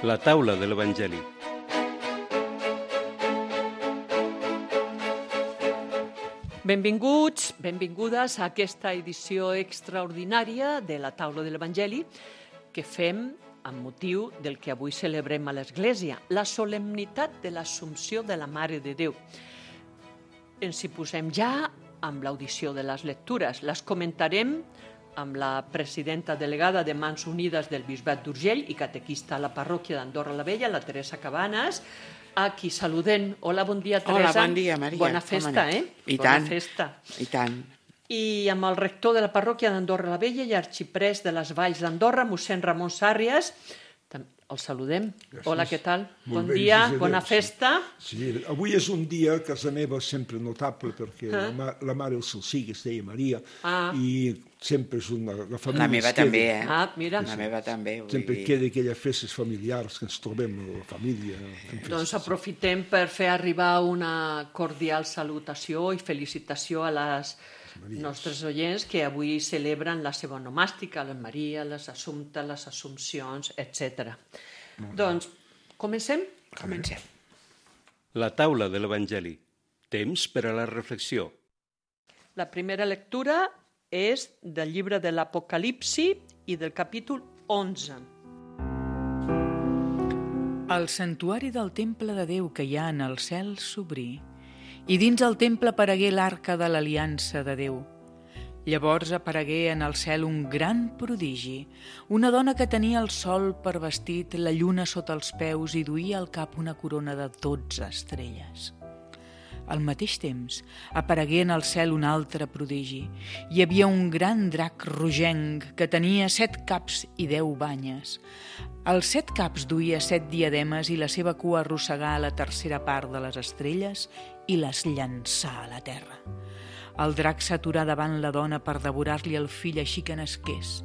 La taula de l'Evangeli. Benvinguts, benvingudes a aquesta edició extraordinària de la taula de l'Evangeli que fem amb motiu del que avui celebrem a l'Església, la solemnitat de l'Assumpció de la Mare de Déu. Ens hi posem ja amb l'audició de les lectures. Les comentarem amb la presidenta delegada de Mans Unides del Bisbat d'Urgell i catequista a la parròquia d'Andorra la Vella, la Teresa Cabanes, a qui saludem. Hola, bon dia, Teresa. Hola, bon dia, Maria. Bona festa, I Bona tant. festa. I tant. I amb el rector de la parròquia d'Andorra la Vella i arxiprès de les Valls d'Andorra, mossèn Ramon Sàrries, el saludem. Gràcies. Hola, què tal? Molt Bon bé, dia, gràcies a bona Déu, festa. Sí, avui és un dia a casa meva sempre notable perquè la mare el sigui, es deia Maria, i sempre és la família. La meva també, Mira. La meva també. Sempre queda aquelles festes familiars que ens trobem a la família. Doncs aprofitem per fer arribar una cordial salutació i felicitació a les nostres oients que avui celebren la seva onomàstica, les Maria, les Assumptes, les Assumpcions, etc. Doncs comencem? Comencem. La taula de l'Evangeli. Temps per a la reflexió. La primera lectura és del llibre de l'Apocalipsi i del capítol 11. El santuari del temple de Déu que hi ha en el cel s'obrí, i dins el temple aparegué l'arca de l'aliança de Déu. Llavors aparegué en el cel un gran prodigi, una dona que tenia el sol per vestit, la lluna sota els peus i duia al cap una corona de 12 estrelles. Al mateix temps aparegué en el cel un altre prodigi. Hi havia un gran drac rogenc que tenia 7 caps i 10 banyes. Els 7 caps duia 7 diademes i la seva cua arrossegà a la tercera part de les estrelles i les llançà a la terra. El drac s'aturà davant la dona per devorar-li el fill així que nasqués.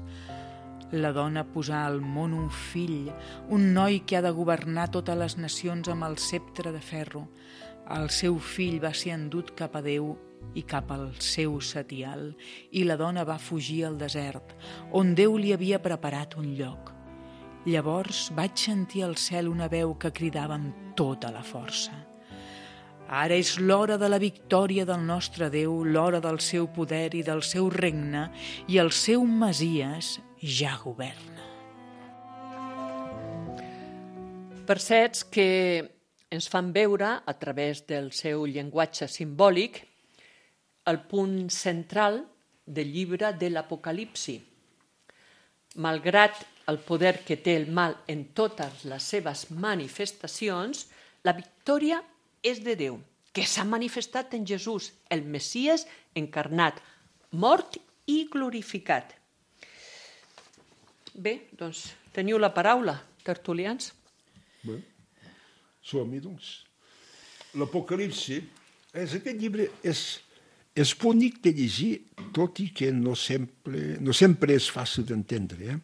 La dona posà al món un fill, un noi que ha de governar totes les nacions amb el ceptre de ferro. El seu fill va ser endut cap a Déu i cap al seu setial, i la dona va fugir al desert, on Déu li havia preparat un lloc. Llavors vaig sentir al cel una veu que cridava amb tota la força. Ara és l'hora de la victòria del nostre Déu, l'hora del seu poder i del seu regne, i el seu Messies ja governa. Versets que ens fan veure, a través del seu llenguatge simbòlic, el punt central del llibre de l'Apocalipsi. Malgrat el poder que té el mal en totes les seves manifestacions, la victòria és de Déu, que s'ha manifestat en Jesús, el Messies encarnat, mort i glorificat. Bé, doncs, teniu la paraula, tertulians. Bé, som-hi, doncs. L'Apocalipsi, aquest llibre és bonic de llegir, tot i que no sempre és fàcil d'entendre.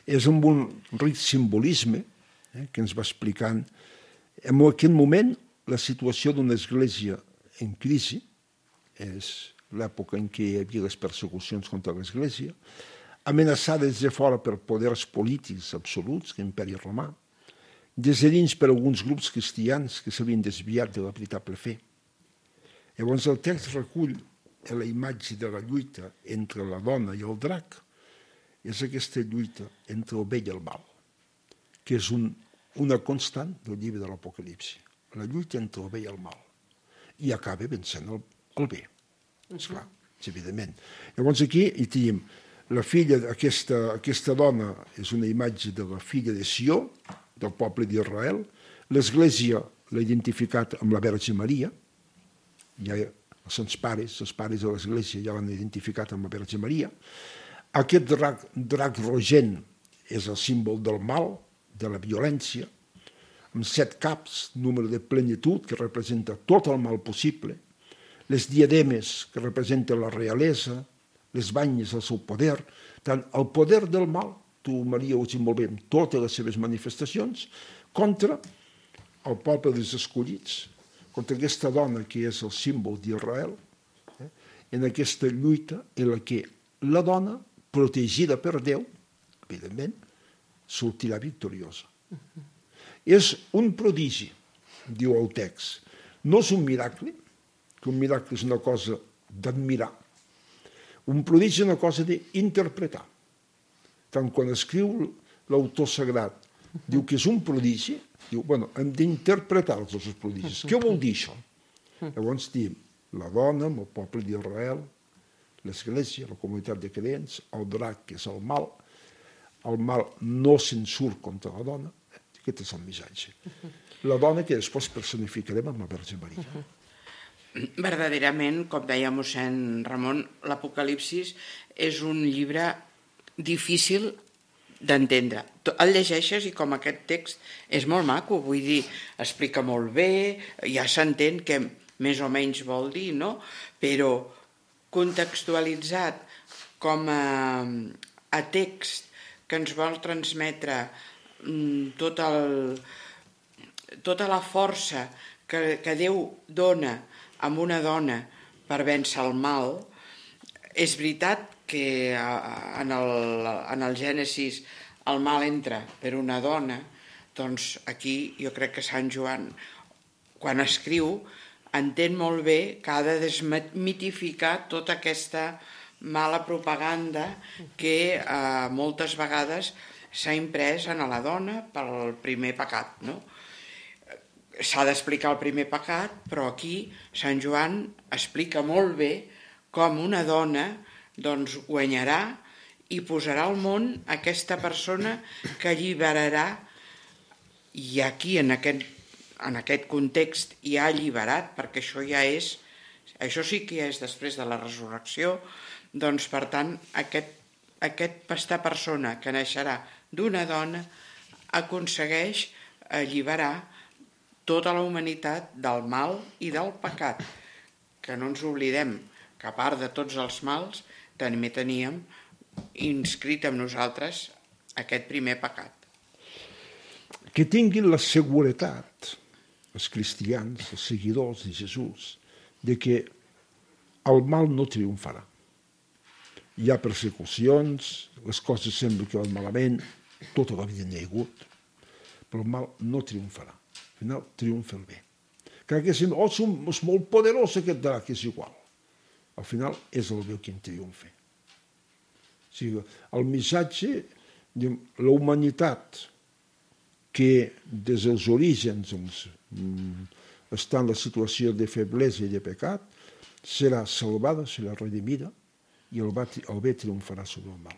És amb un ric simbolisme que ens va explicant en aquest moment la situació d'una església en crisi, és l'època en què hi havia les persecucions contra l'església, amenaçada des de fora per poders polítics absoluts, l'imperi romà, des de dins per alguns grups cristians que s'havien desviat de la veritable fe. Llavors el text recull la imatge de la lluita entre la dona i el drac, és aquesta lluita entre el bé i el mal, que és una constant del llibre de l'Apocalipsi. La lluita entre el bé i el mal. I acaba vencent el bé. Esclar, evidentment. Llavors aquí hi tenim la filla d'aquesta dona, és una imatge de la filla de Sió, del poble d'Israel. L'Església l'ha identificat amb la Verge Maria. Ja els pares de l'Església ja l'han identificat amb la Verge Maria. Aquest drac rogent és el símbol del mal, de la violència, amb 7 caps, número de plenitud, que representa tot el mal possible, les diademes, que representen la realesa, les banyes, el seu poder, tant el poder del mal, tu, Maria, ho dius molt bé, amb totes les seves manifestacions, contra el poble dels escollits, contra aquesta dona que és el símbol d'Israel, en aquesta lluita en la que la dona, protegida per Déu, evidentment, sortirà victoriosa. És un prodigi, diu el text. No és un miracle, que un miracle és una cosa d'admirar. Un prodigi és una cosa d'interpretar. Tant quan escriu l'autor sagrat, diu que és un prodigi, diu, bueno, hem d'interpretar els dos prodigis. Què vol dir això? Llavors diem, la dona, el poble d'Israel, l'Església, la comunitat de creents, el drac, que és el mal no se'n surt contra la dona, aquest és el missatge. La dona que després personificarem amb la Verge Maria. Verdaderament, com deia mossèn Ramon, l'Apocalipsis és un llibre difícil d'entendre. El llegeixes i com aquest text és molt maco, vull dir, explica molt bé, ja s'entén què més o menys vol dir, no? Però contextualitzat com a text que ens vol transmetre tota la força que Déu dona a una dona per vèncer el mal. És veritat que en el Gènesis el mal entra per una dona, doncs aquí jo crec que Sant Joan, quan escriu, entén molt bé que ha de desmitificar tota aquesta mala propaganda que moltes vegades s'ha imprès en la dona pel primer pecat, no? S'ha d'explicar el primer pecat, però aquí Sant Joan explica molt bé com una dona doncs guanyarà i posarà al món aquesta persona que alliberarà, i aquí en aquest context hi ha alliberat, perquè això sí que ja és després de la resurrecció, doncs per tant aquesta persona que naixerà d'una dona aconsegueix alliberar tota la humanitat del mal i del pecat, que no ens oblidem que a part de tots els mals també teníem inscrit en nosaltres aquest primer pecat. Que tinguin la seguretat, els cristians, els seguidors de Jesús, de que el mal no triomfarà. Hi ha persecucions, les coses semblen que van malament, tota la vida n'hi ha hagut, però el mal no triomfarà. Al final triomfa el bé. Que sembla, és molt poderós aquest drac, és igual. Al final és el bé qui en triomfa. O sigui, el missatge, la humanitat que des dels orígens està en la situació de feblesa i de pecat, serà salvada, serà redimida, i el bé triomfarà sobre el mal.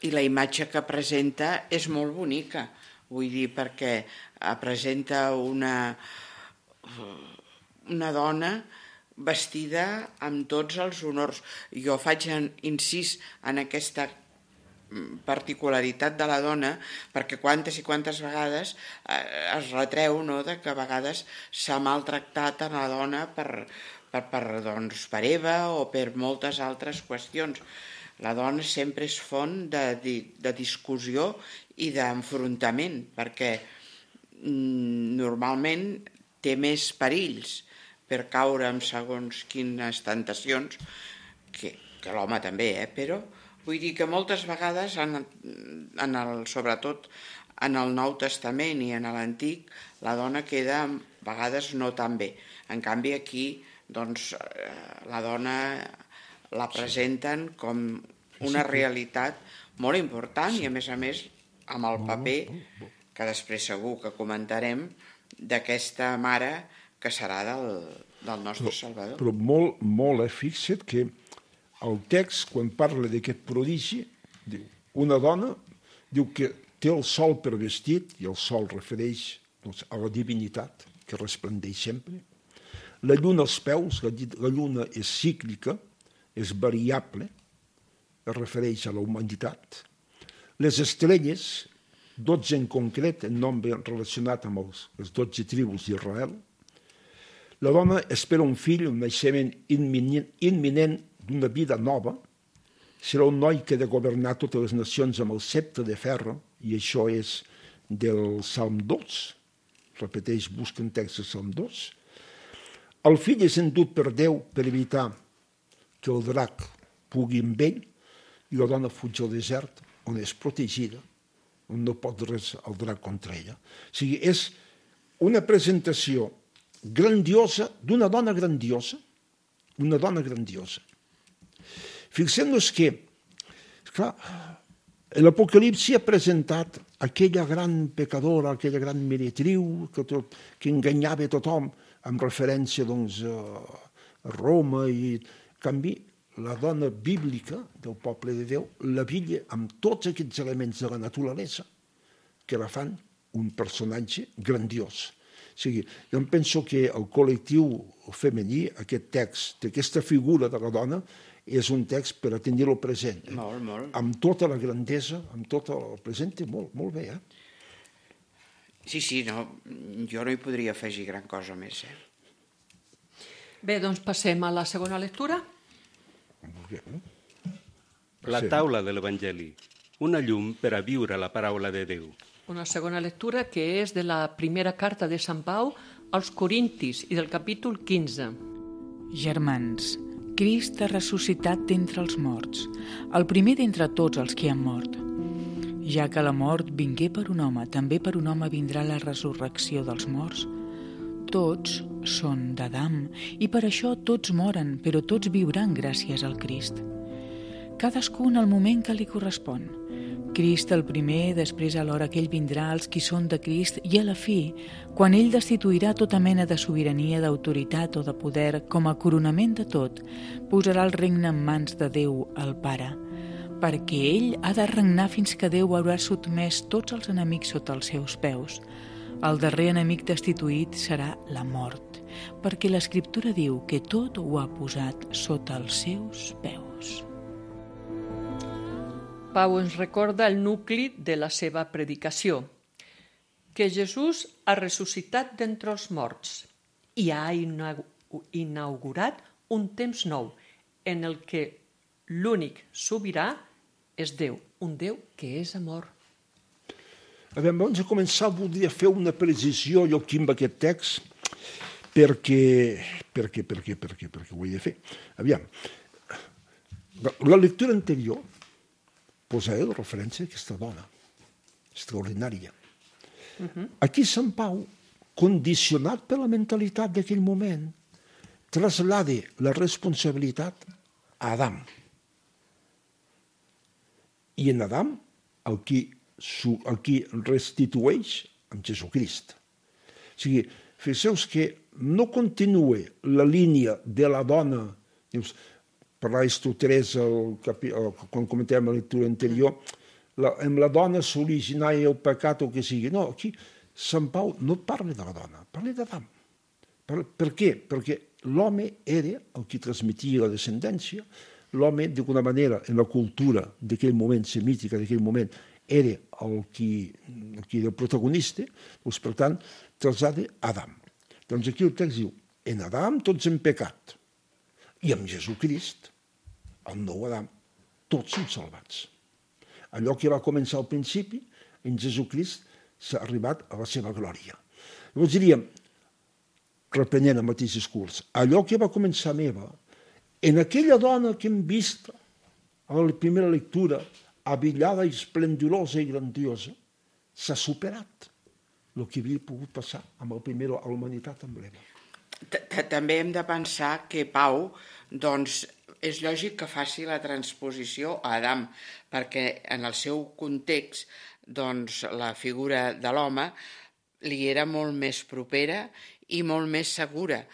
I la imatge que presenta és molt bonica, vull dir, perquè presenta una dona vestida amb tots els honors. Jo faig incís en aquesta particularitat de la dona, perquè quantes i quantes vegades es retreu, no?, de que a vegades s'ha maltractat a la dona per Eva o per moltes altres qüestions. La dona sempre és font de discussió i d'enfrontament, perquè normalment té més perills per caure en segons quines tentacions, que l'home també, però vull dir que moltes vegades, sobretot en el Nou Testament i en l'Antic, la dona queda a vegades no tan bé. En canvi aquí, doncs, la dona la presenten com una realitat molt important i a més amb el paper, que després segur que comentarem, d'aquesta mare que serà del nostre Salvador. Però molt, fixa't que el text, quan parla d'aquest prodigi, diu, una dona diu que té el sol per vestit, i el sol refereix a la divinitat, que resplendeix sempre. La lluna als peus, la lluna és cíclica, és variable, es refereix a la humanitat. Les estrelles, 12 en concret, en nombre relacionat amb les 12 tribus d'Israel. La dona espera un fill, un naixement imminent d'una vida nova. Serà un noi que ha de governar totes les nacions amb el sceptre de ferro, i això és del Salm 2. Repeteix, busquen text del Salm 2. El fill és endut per Déu per evitar que el drac pugui amb ell, i la dona fuig al desert, on és protegida no pot res aldrar contra ella. O sigui, és una presentació grandiosa d'una dona grandiosa, una dona grandiosa. Fixem-nos que, clar, l'Apocalipsi ha presentat aquella gran pecadora, aquella gran meretriu que enganyava a tothom, amb referència doncs, a Roma, i en canvi la dona bíblica del poble de Déu la villa amb tots aquests elements de la naturalesa que la fan un personatge grandiós. O sigui, jo em penso que el col·lectiu femení, aquest text, aquesta figura de la dona, és un text per a tenir-lo present. Molt, molt. Amb tota la grandesa, amb tot el present, molt, molt bé. Sí, no, jo no hi podria afegir gran cosa més. Bé, doncs passem a la segona lectura. La taula de l'Evangeli, una llum per a viure la paraula de Déu. Una segona lectura que és de la primera carta de Sant Pau als Corintis i del capítol 15. Germans, Crist ha ressuscitat d'entre els morts, el primer d'entre tots els que han mort. Ja que la mort vingué per un home, també per un home vindrà la resurrecció dels morts. Tots són d'Adam, i per això tots moren, però tots viuran gràcies al Crist. Cadascú en el moment que li correspon. Crist el primer, després a l'hora que ell vindrà als qui són de Crist, i a la fi, quan ell destituirà tota mena de sobirania, d'autoritat o de poder, com a coronament de tot, posarà el regne en mans de Déu, el Pare, perquè ell ha de regnar fins que Déu haurà sotmès tots els enemics sota els seus peus. El darrer enemic destituït serà la mort, perquè l'Escriptura diu que tot ho ha posat sota els seus peus. Pau ens recorda el nucli de la seva predicació, que Jesús ha ressuscitat d'entre els morts i ha inaugurat un temps nou en el que l'únic sobirà és Déu, un Déu que és amor. Abans de començar, voldria fer una precisió jo aquí amb aquest text, perquè ho he de fer. Aviam, la lectura anterior posaré de referència a aquesta dona extraordinària. Aquí Sant Pau, condicionat per la mentalitat d'aquell moment, traslada la responsabilitat a Adam. I en Adam el qui restitueix amb Jesucrist. O sigui, fixeu-vos que no continua la línia de la dona, parlais tu, Teresa, quan comentem la lectura anterior, amb la dona s'originava el pecat o que sigui. No, aquí Sant Pau no parla de la dona, parla d'Adam. Per què? Perquè l'home era el que transmetia la descendència, l'home, d'alguna manera, en la cultura d'aquell moment, semítica d'aquell moment, era el qui era el protagonista, doncs, per tant, trasllada Adam. Doncs aquí el text diu, en Adam tots hem pecat, i amb Jesucrist, el nou Adam, tots som salvats. Allò que va començar al principi, en Jesucrist s'ha arribat a la seva glòria. Llavors diríem, reprenent el mateix discurs, allò que va començar amb Eva, en aquella dona que hem vist a la primera lectura, avillada, esplendorosa i grandiosa, s'ha superat el que havia pogut passar amb el primer a la humanitat amb l'Eva. També hem de pensar que Pau, doncs, és lògic que faci la transposició a Adam, perquè en el seu context, doncs, la figura de l'home li era molt més propera i molt més segura.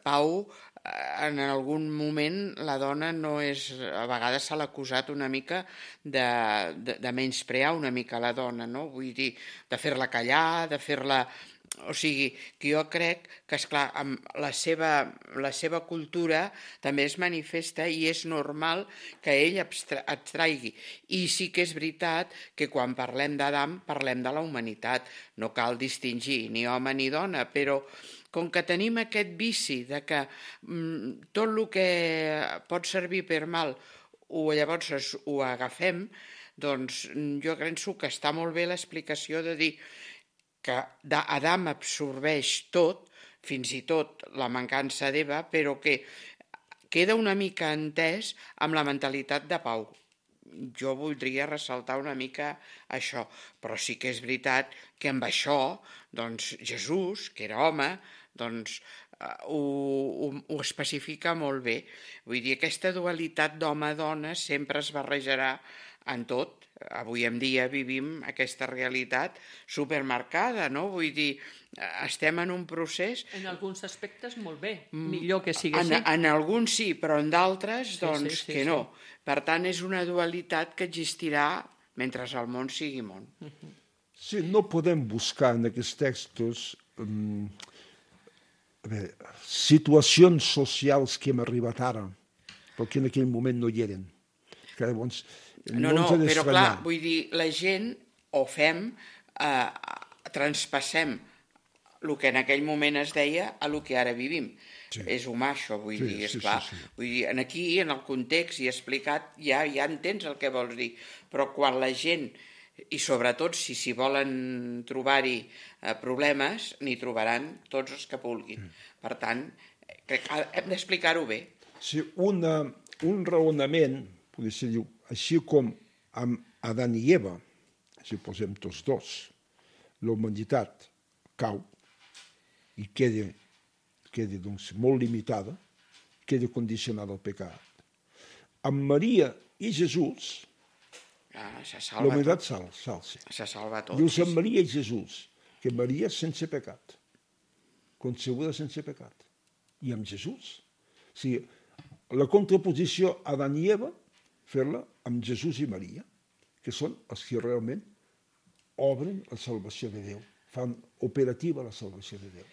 Pau, en algun moment, la dona no és... A vegades se l'ha acusat una mica de menysprear una mica la dona, no? Vull dir, de fer-la callar, de fer-la... O sigui, que jo crec que, esclar, amb la seva cultura també es manifesta i és normal que ell abstraigui. I sí que és veritat que quan parlem d'Adam parlem de la humanitat. No cal distingir ni home ni dona, però com que tenim aquest vici de que tot el que pot servir per mal llavors ho agafem, doncs jo penso que està molt bé l'explicació de dir que Adam absorbeix tot, fins i tot la mancança d'Eva, però que queda una mica entès amb la mentalitat de Pau. jo voldria ressaltar una mica això, però sí que és veritat que amb això, doncs, Jesús, que era home, doncs, ho especifica molt bé. Vull dir, aquesta dualitat d'home-dona sempre es barrejarà en tot. Avui en dia vivim aquesta realitat supermarcada, no? Vull dir, estem en un procés... En alguns aspectes molt bé, millor que sigui així. En alguns sí, però en d'altres, doncs, que no. Per tant, és una dualitat que existirà mentre el món sigui món. Sí, no podem buscar en aquests textos situacions socials que hem arribat ara, perquè en aquell moment no hi eren. Que llavors, no, però clar, vull dir, la gent ho fem, traspassem el que en aquell moment es deia a el que ara vivim. Sí. És humà, això, vull dir, esclar. Sí. Vull dir, aquí, en el context i explicat, ja entens el que vols dir, però quan la gent, i sobretot si volen trobar-hi problemes, n'hi trobaran tots els que vulguin. Per tant, crec que hem d'explicar-ho bé. Sí, un raonament, podria ser, diu, així com amb Adán i Eva, si posem tots dos, la humanitat cau i queda doncs, molt limitada, queda condicionada al pecat. Amb Maria i Jesús, la humanitat s'alça. Se salva tot. Dius amb Maria i Jesús, que Maria és sense pecat, concebuda sense pecat. I amb Jesús. O sigui, la contraposició Adán i Eva, fer-la amb Jesús i Maria, que són els que realment obren la salvació de Déu, fan operativa la salvació de Déu.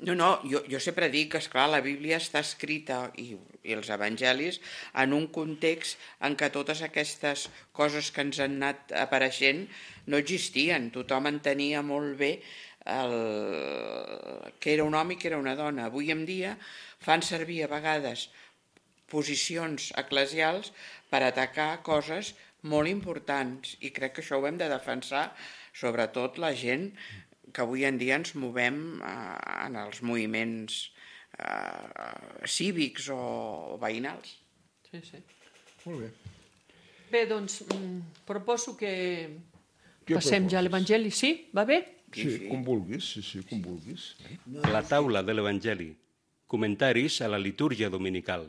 No, jo sempre dic que, esclar, la Bíblia està escrita i els evangelis en un context en què totes aquestes coses que ens han anat apareixent no existien. Tothom entenia molt bé que era un home i que era una dona. Avui en dia fan servir a vegades posicions eclesials per atacar coses molt importants i crec que això ho hem de defensar, sobretot la gent que avui en dia ens movem en els moviments cívics o veïnals. Sí. Molt bé. Bé, doncs, proposo que passem ja a l'Evangeli. Sí? Va bé? Sí, com vulguis, com vulguis. La taula de l'Evangeli. Comentaris a la litúrgia dominical.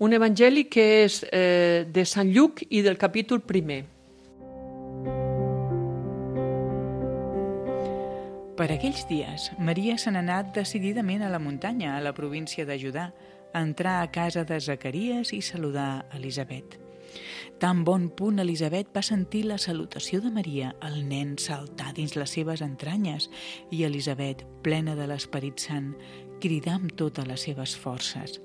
Un evangeli que és de Sant Lluc i del capítol 1. Per aquells dies, Maria se n'ha anat decididament a la muntanya, a la província de Judà, a entrar a casa de Zacaries i saludar Elisabet. Tan bon punt Elisabet va sentir la salutació de Maria, el nen saltar dins les seves entranyes i Elisabet, plena de l'Esperit Sant, cridar amb totes les seves forces: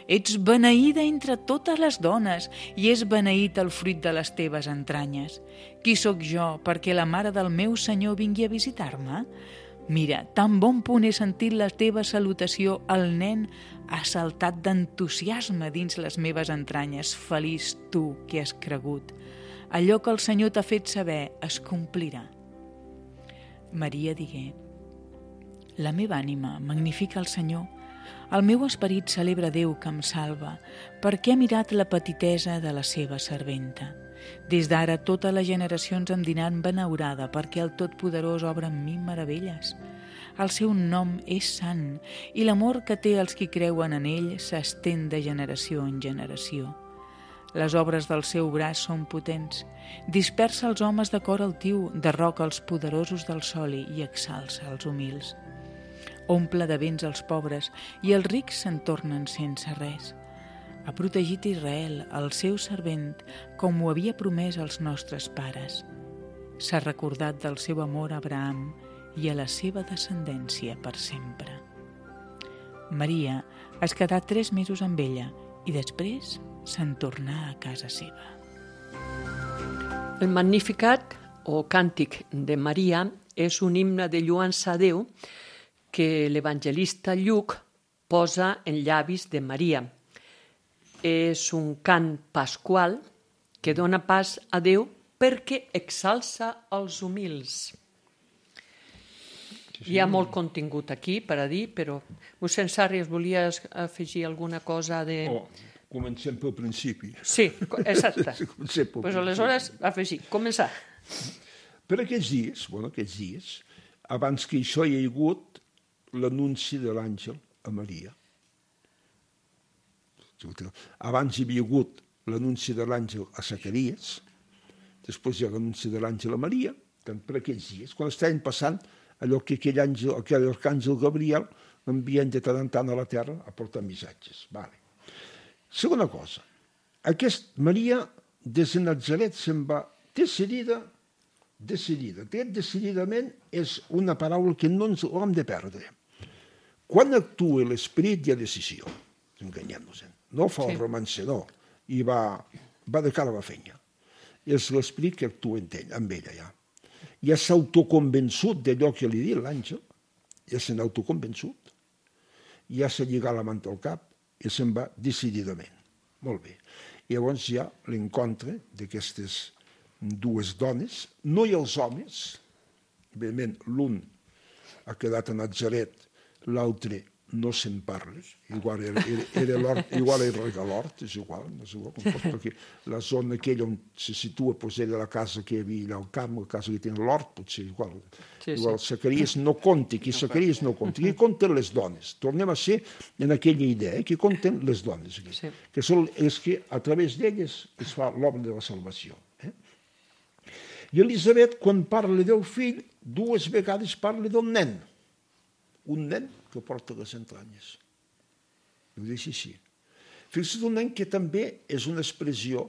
«Ets beneïda entre totes les dones i és beneït el fruit de les teves entranyes. Qui sóc jo perquè la mare del meu Senyor vingui a visitar-me? Mira, tan bon punt he sentit la teva salutació, el nen ha saltat d'entusiasme dins les meves entranyes. Feliç tu que has cregut. Allò que el Senyor t'ha fet saber es complirà». Maria digué: «La meva ànima magnifica el Senyor. El meu esperit celebra Déu que em salva, perquè ha mirat la petitesa de la seva serventa. Des d'ara totes les generacions em diran benaurada, perquè el Totpoderós obra en mi meravelles. El seu nom és sant, i l'amor que té els qui creuen en ell s'estén de generació en generació. Les obres del seu braç són potents. Dispersa els homes de cor altiu, derroca els poderosos del soli i exalça els humils. Omple de béns els pobres i els rics se'n tornen sense res. Ha protegit Israel, el seu servent, com ho havia promès als nostres pares. S'ha recordat del seu amor a Abraham i a la seva descendència per sempre». Maria es quedà 3 mesos amb ella i després se'n tornà a casa seva. El Magnificat, o Càntic de Maria, és un himne de lluança a Déu que l'evangelista Lluc posa en llavis de Maria. És un cant pasqual que dona pas a Déu perquè exalça els humils. Hi ha molt contingut aquí per a dir, però mossèn Sarri, volies afegir alguna cosa de... Comencem pel principi. Sí, exacte. Comencem pel Pues aleshores, afegir, començar. Per aquests dies, abans que això hi ha hagut l'anunci de l'àngel a Maria. Abans hi havia hagut l'anunci de l'àngel a Zacaries, després hi ha l'anunci de l'àngel a Maria, per aquests dies, quan estaven passant allò que aquell arcàngel Gabriel l'envien de tant en tant a la terra a portar missatges. Vale. Segona cosa, Maria des de Nazaret se'n va decidida. Aquest decididament és una paraula que no ens l'hem de perdre. Quan actua l'esperit hi ha decisió, enganyem-nos-en. No fa el romancer, i va de cara a la feina. És l'esperit que actua amb ella, ja. Ja s'ha autoconvençut d'allò que li diu l'àngel, ja s'ha autoconvençut, ja s'ha lligat la manta al cap i se'n va decididament. Molt bé. Llavors hi ha l'encontre d'aquestes dues dones, no hi ha els homes, evidentment l'un ha quedat a Nazaret, l'altre no se'n parla, igual era l'hort, igual era l'hort, és igual, no és igual, perquè la zona aquella on se situa era la casa que hi havia allà al camp, la casa que tenia l'hort, potser igual. Igual Zacaries no compta, aquí Zacaries no compta, aquí compten les dones. Tornem a ser en aquella idea, que compten les dones, que són les que a través d'elles es fa l'obra de la salvació. I Elisabet, quan parla del fill, dues vegades parla del nen. Un nen que porta les entranyes. Ho deixa així. Fixa't, un nen que també és una expressió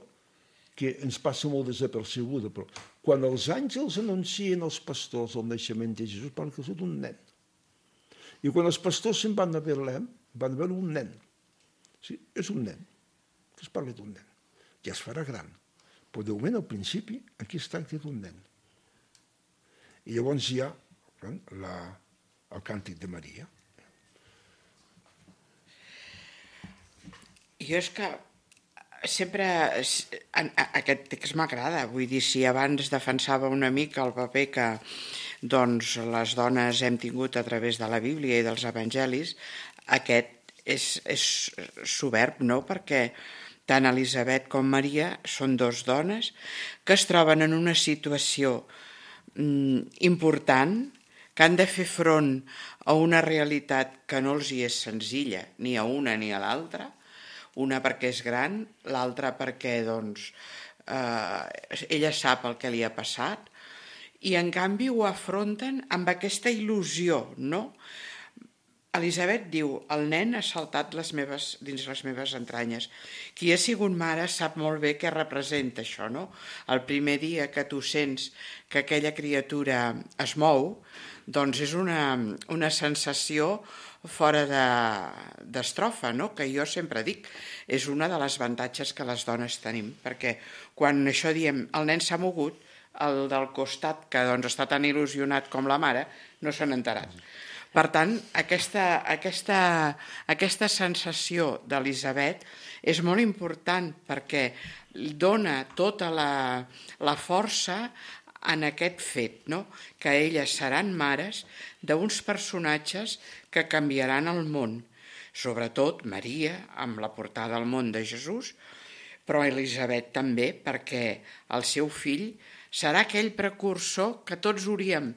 que ens passa molt desapercebuda, però quan els àngels anuncien als pastors el naixement de Jesús, parla que és un nen. I quan els pastors se'n van a Betlem, van veure un nen. Sí, és un nen. Que es parla d'un nen. Ja es farà gran. Però de moment, al principi, aquí es tracta d'un nen. I llavors hi ha el càntic de Maria. Jo és que sempre aquest text m'agrada, vull dir, si abans defensava una mica el paper que doncs, les dones hem tingut a través de la Bíblia i dels evangelis, aquest és soberb, no?, perquè tant Elisabet com Maria són dos dones que es troben en una situació important, que han de fer front a una realitat que no els hi és senzilla, ni a una ni a l'altra, una perquè és gran, l'altra perquè doncs, ella sap el que li ha passat, i en canvi ho afronten amb aquesta il·lusió, no? Elisabet diu, el nen ha saltat dins les meves entranyes. Qui ha sigut mare sap molt bé què representa això, no? El primer dia que tu sents que aquella criatura es mou, doncs és una sensació fora d'estrofa, no? Que jo sempre dic, és una de les avantatges que les dones tenim, perquè quan això diem, el nen s'ha mogut, el del costat, que doncs està tan il·lusionat com la mare, no se n'ha enterat. Per tant, aquesta sensació d'Elisabet és molt important perquè dona tota la força en aquest fet, no? Que elles seran mares d'uns personatges que canviaran el món, sobretot Maria, amb la portada al món de Jesús, però Elisabet també, perquè el seu fill serà aquell precursor que tots hauríem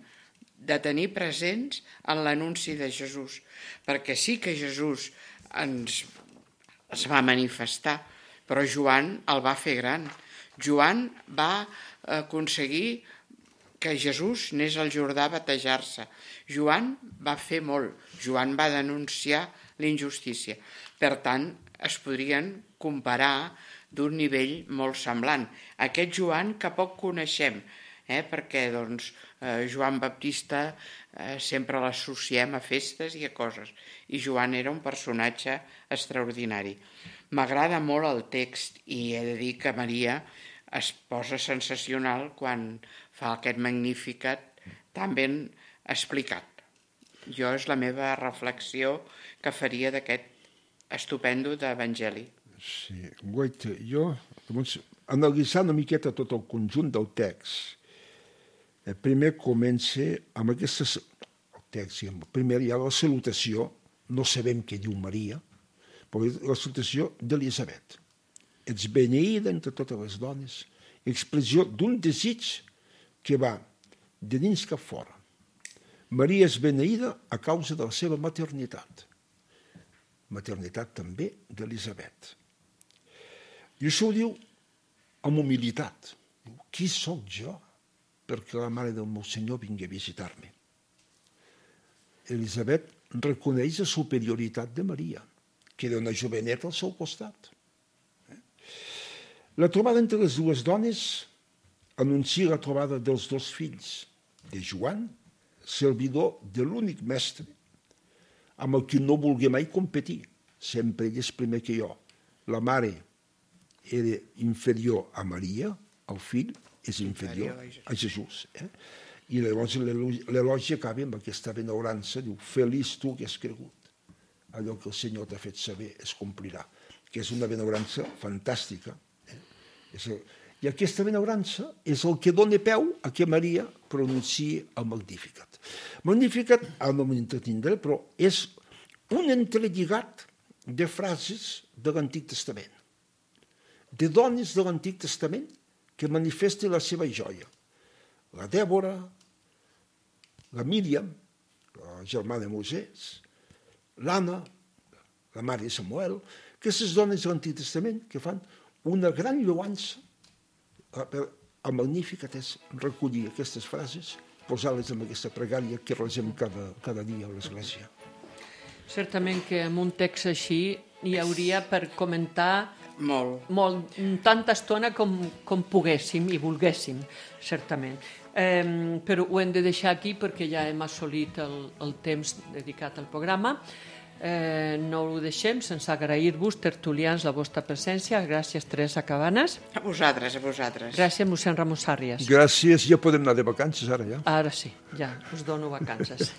de tenir presents en l'anunci de Jesús, perquè sí que Jesús es va manifestar, però Joan el va fer gran. Joan va aconseguir que Jesús anés al Jordà a batejar-se. Joan va fer molt. Joan va denunciar l'injustícia. Per tant, es podrien comparar d'un nivell molt semblant. Aquest Joan que poc coneixem, perquè doncs, Joan Baptista sempre l'associem a festes i a coses, i Joan era un personatge extraordinari. M'agrada molt el text i he de dir que Maria es posa sensacional quan fa aquest Magnificat tan ben explicat. Jo és la meva reflexió que faria d'aquest estupendo d'Evangeli. Sí, guaita, jo, analitzant una miqueta tot el conjunt del text, primer comença amb el text, primer hi ha la salutació, no sabem què diu Maria, però la salutació d'Elisabet. ets beneïda entre totes les dones, expressió d'un desig que va de dins cap fora. Maria és beneïda a causa de la seva maternitat. Maternitat també d'Elisabet. I això ho diu amb humilitat. Diu, qui sóc jo perquè la mare del meu senyor vingui a visitar-me? Elisabet reconeix la superioritat de Maria, que era una joveneta al seu costat. La trobada entre les dues dones anuncia la trobada dels dos fills, de Joan, servidor de l'únic mestre, amb el que no vulgui mai competir. Sempre ell és primer que jo. La mare era inferior a Maria, el fill és inferior a Jesús. I llavors l'elogi acaba amb aquesta benaurança, diu, feliç tu que has cregut. Allò que el Senyor t'ha fet saber es complirà, que és una benaurança fantàstica. I aquesta benaurança és el que dona peu a que Maria pronunciï el Magnificat. Magnificat, no m'entretindré, però és un entrelligat de frases de l'Antic Testament, de dones de l'Antic Testament que manifesten la seva joia. La Dèbora, la Míriam, la germana de Moisès, l'Anna, la mare de Samuel, aquestes dones de l'Antic Testament que fan una gran lloança. El Magnificat és recollir aquestes frases, posar-les en aquesta pregària que resem cada dia a l'Església. Certament que amb un text així hi hauria per comentar molt, tanta estona com poguéssim i volguéssim, certament. Però ho hem de deixar aquí perquè ja hem assolit el temps dedicat al programa. No ho deixem sense agrair-vos, tertulians, la vostra presència. Gràcies, Teresa Cabanes. A vosaltres. Gràcies, mossèn Ramon Sàrrias. Gràcies, ja podem anar de vacances ara, ja. Ara sí, ja, us dono vacances.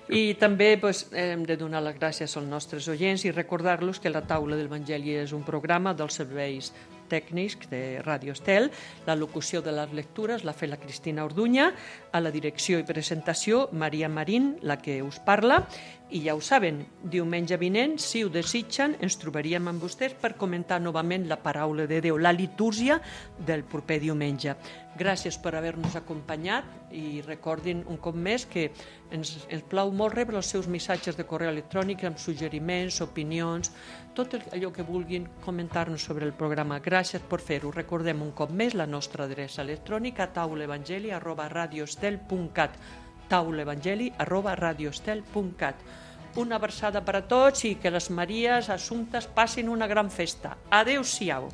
I també hem de donar les gràcies als nostres oients i recordar-los que la Taula de l'Evangeli és un programa dels serveis tècnics de Ràdio Estel. La locució de les lectures l'ha fet la Cristina Orduña, a la direcció i presentació Maria Marín, la que us parla, i ja ho saben, diumenge vinent, si ho desitgen, ens trobaríem amb vostès per comentar novament la paraula de Déu, la litúrgia del proper diumenge. Gràcies per haver-nos acompanyat i recordin un cop més que ens plau molt rebre els seus missatges de correu electrònic amb suggeriments, opinions, tot allò que vulguin comentar-nos sobre el programa. Gràcies per fer-ho. Recordem un cop més la nostra adreça electrònica taulaevangeli@radioestel.cat taulaevangeli@radioestel.cat. Una abraçada per a tots i que les Maries Assumptes passin una gran festa. Adéu-siau.